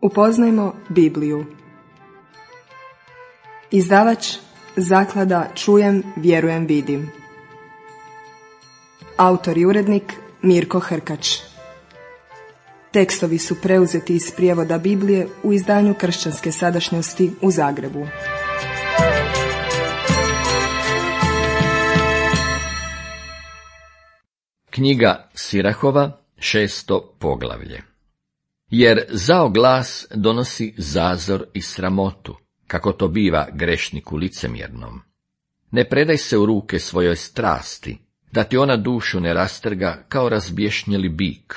Upoznajmo Bibliju. Izdavač Zaklada Čujem, vjerujem, vidim. Autor i urednik Mirko Hrkač. Tekstovi su preuzeti iz prijevoda Biblije u izdanju Kršćanske sadašnjosti u Zagrebu. Knjiga Sirahova, 6. poglavlje. Jer zao glas donosi zazor i sramotu, kako to biva grešniku licemjernom. Ne predaj se u ruke svojoj strasti, da ti ona dušu ne rastrga kao razbješnjeli bik,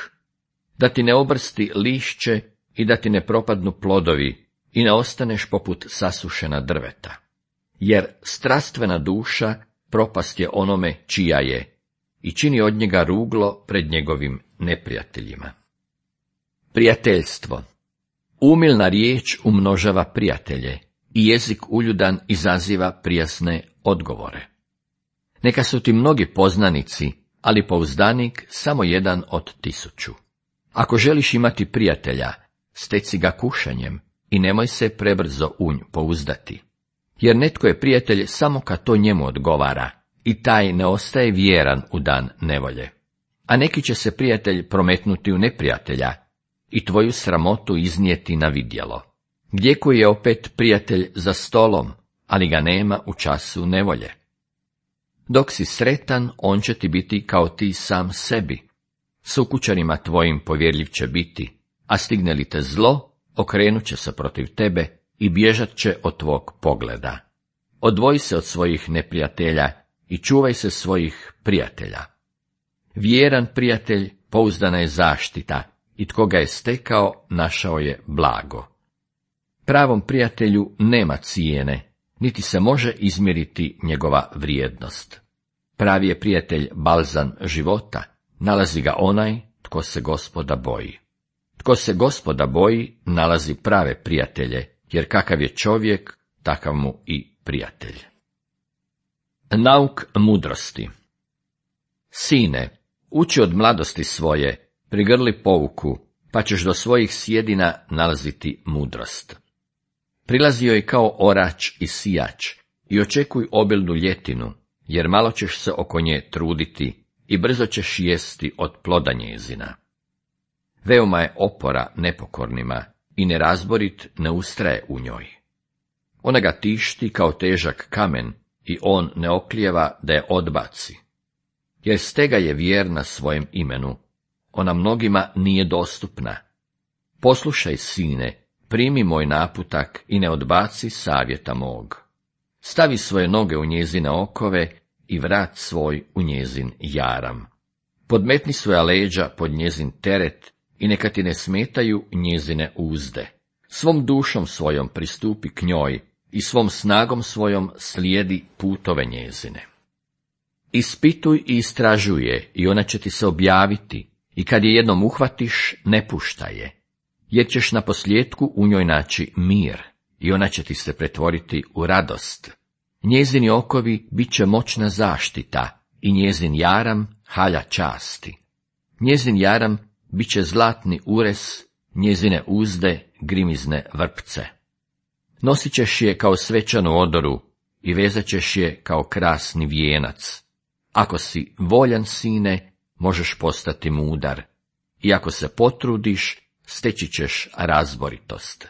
da ti ne obrsti lišće i da ti ne propadnu plodovi i ne ostaneš poput sasušena drveta. Jer strastvena duša propast je onome čija je i čini od njega ruglo pred njegovim neprijateljima. Prijateljstvo. Umilna riječ umnožava prijatelje i jezik uljudan izaziva prijasne odgovore. Neka su ti mnogi poznanici, ali pouzdanik samo jedan od 1000. Ako želiš imati prijatelja, steci ga kušanjem i nemoj se prebrzo u nj pouzdati. Jer netko je prijatelj samo kad to njemu odgovara i taj ne ostaje vjeran u dan nevolje. A neki će se prijatelj prometnuti u neprijatelja i tvoju sramotu iznijeti na vidjelo. Gdje koji je opet prijatelj za stolom, ali ga nema u času nevolje. Dok si sretan, on će ti biti kao ti sam sebi. Sukućanima tvojim povjerljiv će biti, a stigne li te zlo, okrenut će se protiv tebe i bježat će od tvog pogleda. Odvoji se od svojih neprijatelja i čuvaj se svojih prijatelja. Vjeran prijatelj pouzdana je zaštita i tko ga je stekao, našao je blago. Pravom prijatelju nema cijene, niti se može izmjeriti njegova vrijednost. Pravi je prijatelj balzam života, nalazi ga onaj tko se Gospoda boji. Tko se Gospoda boji, nalazi prave prijatelje, jer kakav je čovjek, takav mu i prijatelj. Nauk mudrosti. Sine, uči od mladosti svoje, prigrli pouku, pa ćeš do svojih sjedina nalaziti mudrost. Prilazi joj kao orač i sijač i očekuj obilnu ljetinu, jer malo ćeš se oko nje truditi i brzo ćeš jesti od ploda njezina. Veoma je opora nepokornima i nerazborit ne ustraje u njoj. Ona ga tišti kao težak kamen i on ne oklijeva da je odbaci. Jer stega je vjerna svojem imenu, ona mnogima nije dostupna. Poslušaj, sine, primi moj naputak i ne odbaci savjeta mog. Stavi svoje noge u njezine okove i vrat svoj u njezin jaram. Podmetni svoja leđa pod njezin teret i neka ti ne smetaju njezine uzde. Svom dušom svojom pristupi k njoj i svom snagom svojom slijedi putove njezine. Ispituj i istražuj je i ona će ti se objaviti i kad je jednom uhvatiš, ne puštaj je. Jer ćeš na posljedku u njoj naći mir i ona će ti se pretvoriti u radost. Njezini okovi bit će moćna zaštita i njezin jaram halja časti. Njezin jaram bit će zlatni ures, njezine uzde grimizne vrpce. Nosit ćeš je kao svečanu odoru i vezat ćeš je kao krasni vijenac. Ako si voljan, sine, možeš postati mudar i ako se potrudiš, steći ćeš razboritost.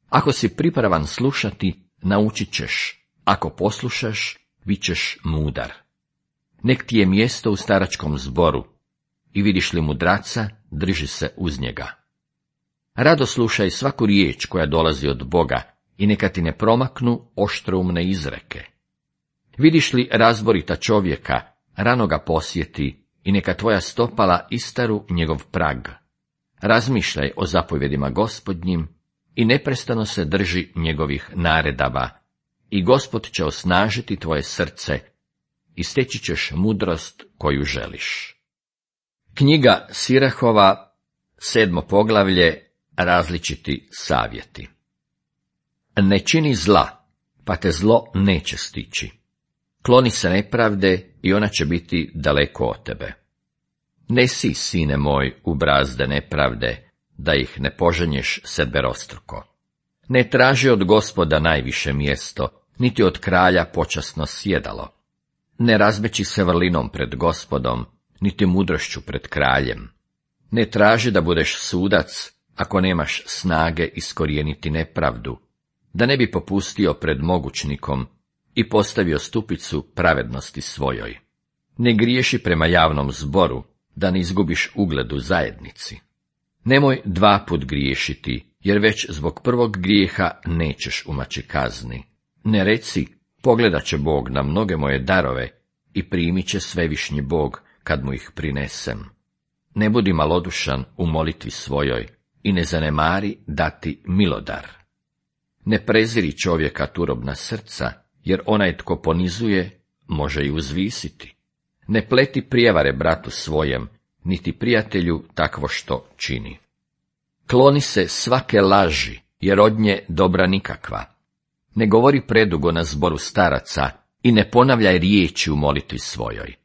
Ako si pripravan slušati, naučit ćeš, ako poslušaš, bit ćeš mudar. Nek ti je mjesto u staračkom zboru i vidiš li mudraca, drži se uz njega. Rado slušaj svaku riječ koja dolazi od Boga i neka ti ne promaknu oštroumne izreke. Vidiš li razborita čovjeka, rano ga posjeti i neka tvoja stopala istaru njegov prag. Razmišljaj o zapovjedima Gospodnjim i neprestano se drži njegovih naredaba i Gospod će osnažiti tvoje srce i steći ćeš mudrost koju želiš. Knjiga Sirahova, 7. poglavlje, različiti savjeti. Ne čini zla, pa te zlo neće stići. Kloni se nepravde i ona će biti daleko od tebe. Ne si, sine moj, u brazde nepravde, da ih ne poženješ sedberostruko. Ne traži od Gospoda najviše mjesto, niti od kralja počasno sjedalo. Ne razmeći se vrlinom pred Gospodom, niti mudrošću pred kraljem. Ne traži da budeš sudac, ako nemaš snage iskorijeniti nepravdu, da ne bi popustio pred mogućnikom i postavio stupicu pravednosti svojoj. Ne griješi prema javnom zboru, da ne izgubiš ugled u zajednici. Nemoj 2 put griješiti, jer već zbog prvog grijeha nećeš umaći kazni. Ne reci, pogledat će Bog na mnoge moje darove i primit će svevišnji Bog kad mu ih prinesem. Ne budi malodušan u molitvi svojoj i ne zanemari dati milodar. Ne preziri čovjeka turobna srca, jer onaj tko ponizuje, može i uzvisiti. Ne pleti prijevare bratu svojem, niti prijatelju takvo što čini. Kloni se svake laži, jer od nje dobra nikakva. Ne govori predugo na zboru staraca i ne ponavljaj riječi u molitvi svojoj.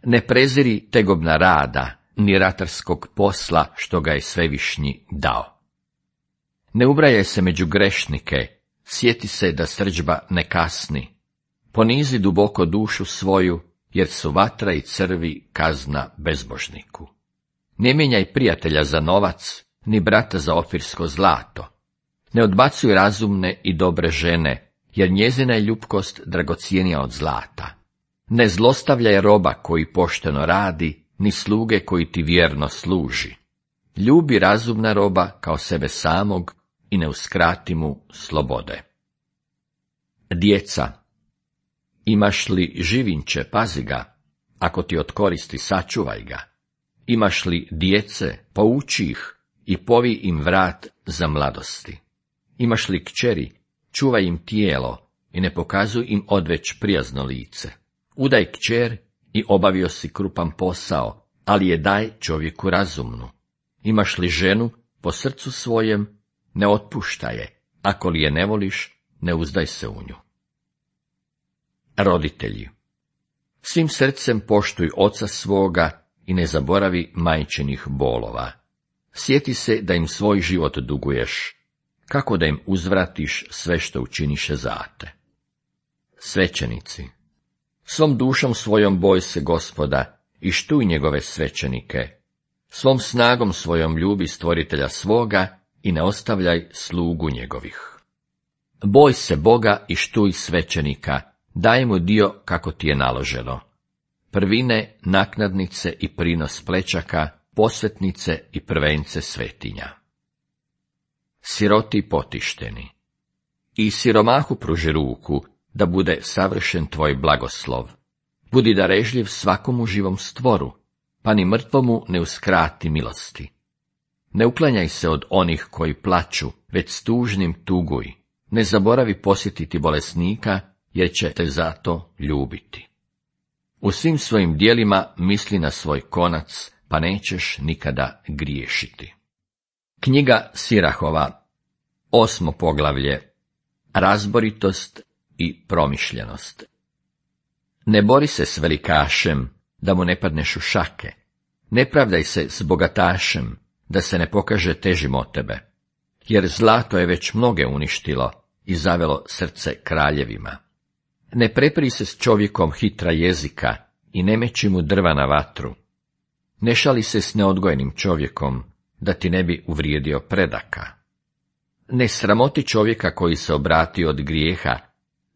Ne preziri tegobna rada, ni ratarskog posla što ga je svevišnji dao. Ne ubrajaj se među grešnike, sjeti se da srdžba ne kasni. Ponizi duboko dušu svoju, jer su vatra i crvi kazna bezbožniku. Ne mijenjaj prijatelja za novac, ni brata za ofirsko zlato. Ne odbacuj razumne i dobre žene, jer njezina je ljubkost dragocjenija od zlata. Ne zlostavljaj roba koji pošteno radi, ni sluge koji ti vjerno služi. Ljubi razumna roba kao sebe samog i ne uskrati mu slobode. Djeca. Imaš li živinče, pazi ga, ako ti od koristi, sačuvaj ga. Imaš li djece, pouči ih i povi im vrat za mladosti. Imaš li kćeri, čuvaj im tijelo i ne pokazuj im odveć prijazno lice. Udaj kćer i obavio si krupan posao, ali je daj čovjeku razumnu. Imaš li ženu, po srcu svojem, ne otpuštaj je, ako li je ne voliš, ne uzdaj se u nju. Roditelji. Svim srcem poštuj oca svoga i ne zaboravi majčinih bolova. Sjeti se da im svoj život duguješ, kako da im uzvratiš sve što učiniše za te. Svećenici. Svom dušom svojom boj se Gospoda i štuj njegove svećenike. Svom snagom svojom ljubi stvoritelja svoga i ne ostavljaj slugu njegovih. Boj se Boga i štuj svećenika, daj mu dio kako ti je naloženo. Prvine, naknadnice i prinos plećaka, posvetnice i prvence svetinja. Siroti potišteni. I siromahu pruži ruku, da bude savršen tvoj blagoslov. Budi darežljiv svakomu živom stvoru, pa ni mrtvomu ne uskrati milosti. Ne uklanjaj se od onih koji plaču, već s tužnim tuguj. Ne zaboravi posjetiti bolesnika, jer će te zato ljubiti. U svim svojim dijelima misli na svoj konac, pa nećeš nikada griješiti. Knjiga Sirahova, 8. poglavlje. Razboritost i promišljenost. Ne bori se s velikašem, da mu ne padneš u šake. Ne pravdaj se s bogatašem, da se ne pokaže težim od tebe. Jer zlato je već mnoge uništilo i zavelo srce kraljevima. Ne prepri se s čovjekom hitra jezika i ne meći mu drva na vatru. Ne šali se s neodgojenim čovjekom, da ti ne bi uvrijedio predaka. Ne sramoti čovjeka koji se obratio od grijeha,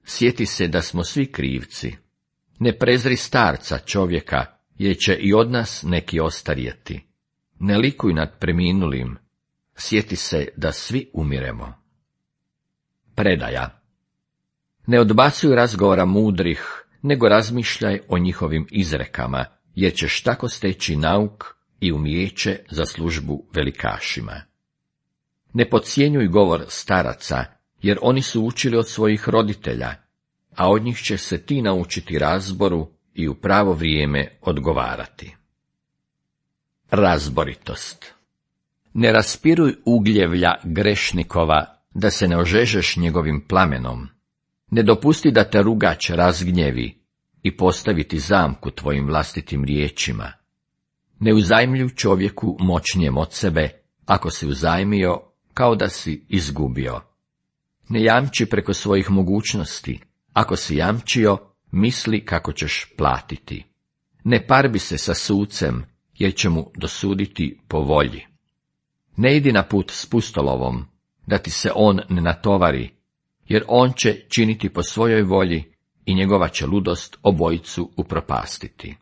sjeti se da smo svi krivci. Ne prezri starca čovjeka, jer će i od nas neki ostarjeti. Ne likuj nad preminulim, sjeti se da svi umiremo. Predaja. Ne odbacuj razgovora mudrih, nego razmišljaj o njihovim izrekama, jer ćeš tako steći nauk i umijeće za službu velikašima. Ne podcjenjuj govor staraca, jer oni su učili od svojih roditelja, a od njih će se ti naučiti razboru i u pravo vrijeme odgovarati. Razboritost. Ne raspiruj ugljevlja grešnikova, da se ne ožežeš njegovim plamenom. Ne dopusti da te rugač razgnjevi i postaviti zamku tvojim vlastitim riječima. Ne uzajmljuj čovjeku moćnijem od sebe, ako si uzajmio, kao da si izgubio. Ne jamči preko svojih mogućnosti, ako si jamčio, misli kako ćeš platiti. Ne parbi se sa sucem, jer će mu dosuditi po volji. Ne idi na put s pustolovom, da ti se on ne natovari, jer on će činiti po svojoj volji i njegova će ludost obojicu upropastiti.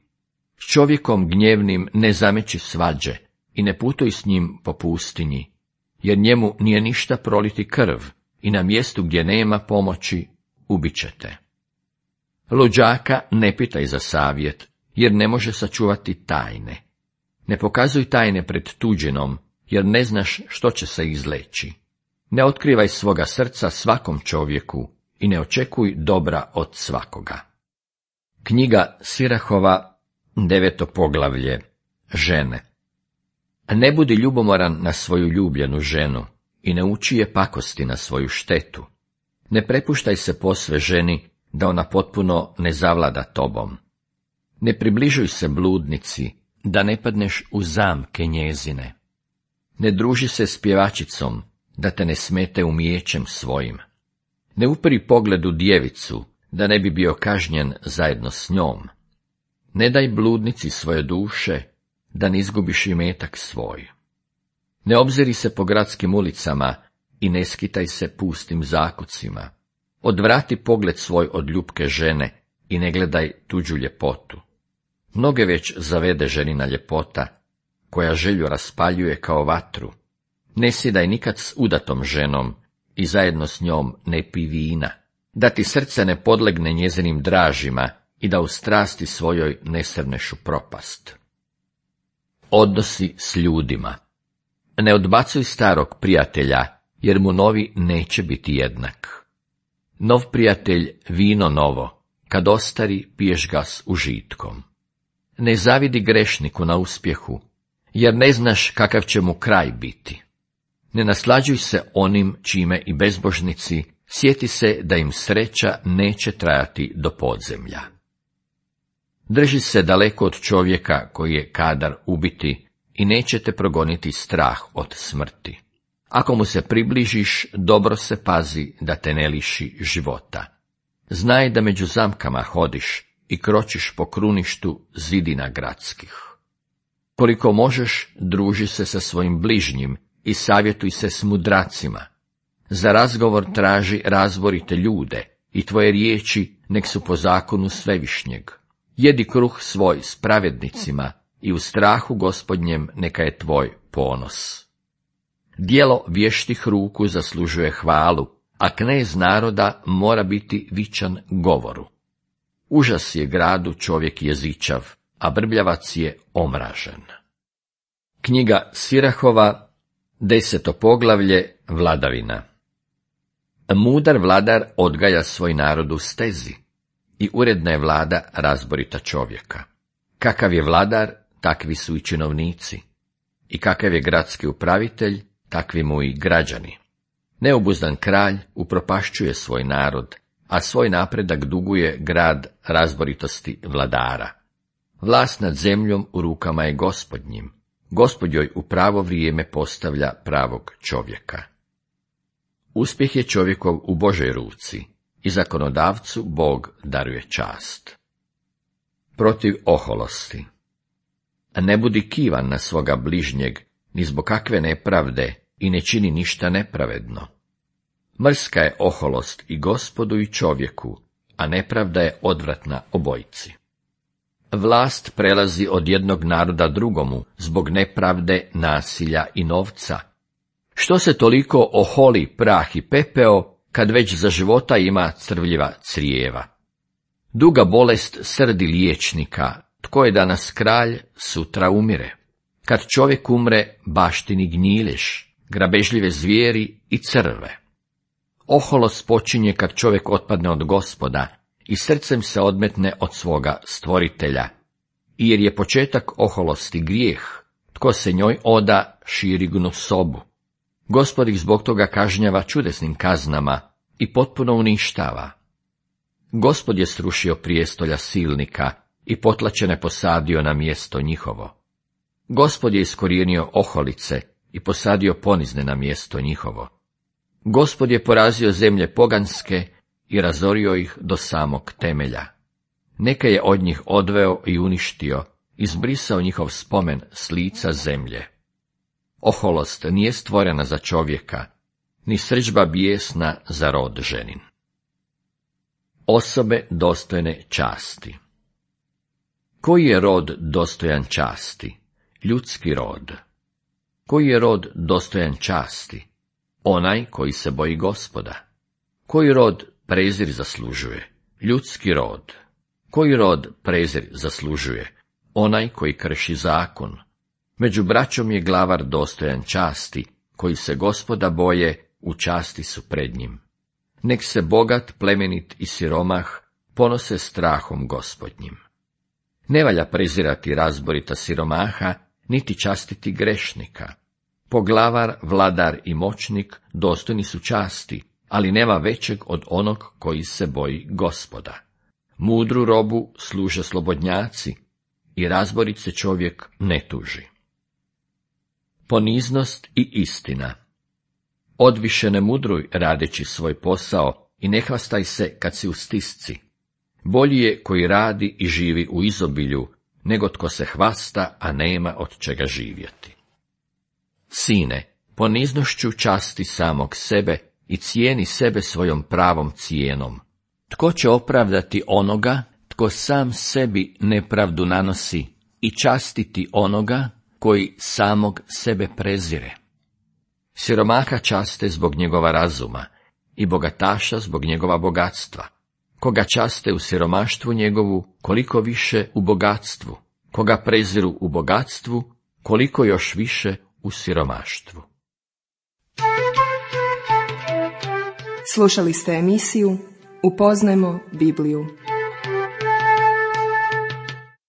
S čovjekom gnjevnim ne zameći svađe i ne putuj s njim po pustinji, jer njemu nije ništa proliti krv i na mjestu gdje nema pomoći ubit te. Luđaka ne pitaj za savjet, jer ne može sačuvati tajne. Ne pokazuj tajne pred tuđinom, jer ne znaš što će se izleći. Ne otkrivaj svoga srca svakom čovjeku i ne očekuj dobra od svakoga. Knjiga Sirahova, 9. poglavlje. Žene. Ne budi ljubomoran na svoju ljubljenu ženu i ne uči je pakosti na svoju štetu. Ne prepuštaj se posve ženi, da ona potpuno ne zavlada tobom. Ne približuj se bludnici, da ne padneš u zamke njezine. Ne druži se s pjevačicom, da te ne smete umijećem svojim. Ne upri pogled u djevicu, da ne bi bio kažnjen zajedno s njom. Ne daj bludnici svoje duše, da ne izgubiš imetak svoj. Ne obziri se po gradskim ulicama i ne skitaj se pustim zakucima. Odvrati pogled svoj od ljubke žene i ne gledaj tuđu ljepotu. Mnoge već zavede ženina ljepota, koja želju raspaljuje kao vatru. Ne sjedaj nikad s udatom ženom i zajedno s njom ne pi vina, da ti srce ne podlegne njezinim dražima i da u strasti svojoj ne srneš u propast. Odnosi s ljudima. Ne odbacuj starog prijatelja, jer mu novi neće biti jednak. Nov prijatelj vino novo, kad ostari piješ ga s užitkom. Ne zavidi grešniku na uspjehu, jer ne znaš kakav će mu kraj biti. Ne naslađuj se onim čime i bezbožnici, sjeti se da im sreća neće trajati do podzemlja. Drži se daleko od čovjeka koji je kadar ubiti i neće te progoniti strah od smrti. Ako mu se približiš, dobro se pazi da te ne liši života. Znaj da među zamkama hodiš i kročiš po kruništu zidina gradskih. Koliko možeš, druži se sa svojim bližnjim i savjetuj se s mudracima. Za razgovor traži razborite ljude i tvoje riječi nek su po zakonu Svevišnjeg. Jedi kruh svoj s pravednicima i u strahu Gospodnjem neka je tvoj ponos. Djelo vještih ruku zaslužuje hvalu, a knez naroda mora biti vičan govoru. Užas je gradu čovjek jezičav, a brbljavac je omražen. Knjiga Sirahova, 10. poglavlje, vladavina. Mudar vladar odgaja svoj narod u stezi i uredna je vlada razborita čovjeka. Kakav je vladar, takvi su i činovnici. I kakav je gradski upravitelj, takvi mu i građani. Neobuzdan kralj upropašćuje svoj narod, a svoj napredak duguje grad razboritosti vladara. Vlast nad zemljom u rukama je Gospodnjim. Gospod joj u pravo vrijeme postavlja pravog čovjeka. Uspjeh je čovjekov u Božoj ruci i zakonodavcu Bog daruje čast. Protiv oholosti. Ne budi kivan na svoga bližnjeg, ni zbog kakve nepravde i ne čini ništa nepravedno. Mrska je oholost i Gospodu i čovjeku, a nepravda je odvratna obojici. Vlast prelazi od jednog naroda drugomu zbog nepravde, nasilja i novca. Što se toliko oholi prah i pepeo, kad već za života ima crvljiva crijeva? Duga bolest srdi liječnika, tko je danas kralj, sutra umire. Kad čovjek umre, baštini gnjileš, grabežljive zvijeri i crve. Oholost počinje kad čovjek otpadne od Gospoda i srcem se odmetne od svoga stvoritelja. I jer je početak oholosti grijeh, tko se njoj oda, širi gnusobu. Gospod ih zbog toga kažnjava čudesnim kaznama i potpuno uništava. Gospod je srušio prijestolja silnika i potlačene posadio na mjesto njihovo. Gospod je iskorijenio oholice i posadio ponizne na mjesto njihovo. Gospod je porazio zemlje poganske i razorio ih do samog temelja. Neke je od njih odveo i uništio, izbrisao njihov spomen s lica zemlje. Oholost nije stvorena za čovjeka, ni srdžba bijesna za rod ženin. Osobe dostojne časti. Koji je rod dostojan časti? Ljudski rod. Koji je rod dostojan časti? Onaj koji se boji Gospoda. Koji rod prezir zaslužuje? Ljudski rod. Koji rod prezir zaslužuje? Onaj koji krši zakon. Među braćom je glavar dostojan časti, koji se Gospoda boje, u časti su pred njim. Nek se bogat, plemenit i siromah ponose strahom Gospodnjim. Ne valja prezirati razborita siromaha, niti častiti grešnika. Poglavar, vladar i moćnik dostojni su časti, ali nema većeg od onog koji se boji Gospoda. Mudru robu služe slobodnjaci i razborit se čovjek ne tuži. Poniznost i istina. Odviše ne mudruj radeći svoj posao i ne hvastaj se kad si u stisci. Bolji je koji radi i živi u izobilju, nego tko se hvasta, a nema od čega živjeti. Sine, poniznošću časti samog sebe i cijeni sebe svojom pravom cijenom. Tko će opravdati onoga, tko sam sebi nepravdu nanosi, i častiti onoga koji samog sebe prezire? Siromaha časte zbog njegova razuma i bogataša zbog njegova bogatstva. Koga časte u siromaštvu njegovu, koliko više u bogatstvu. Koga preziru u bogatstvu, koliko još više u siromaštvu. Slušali ste emisiju Upoznajmo Bibliju.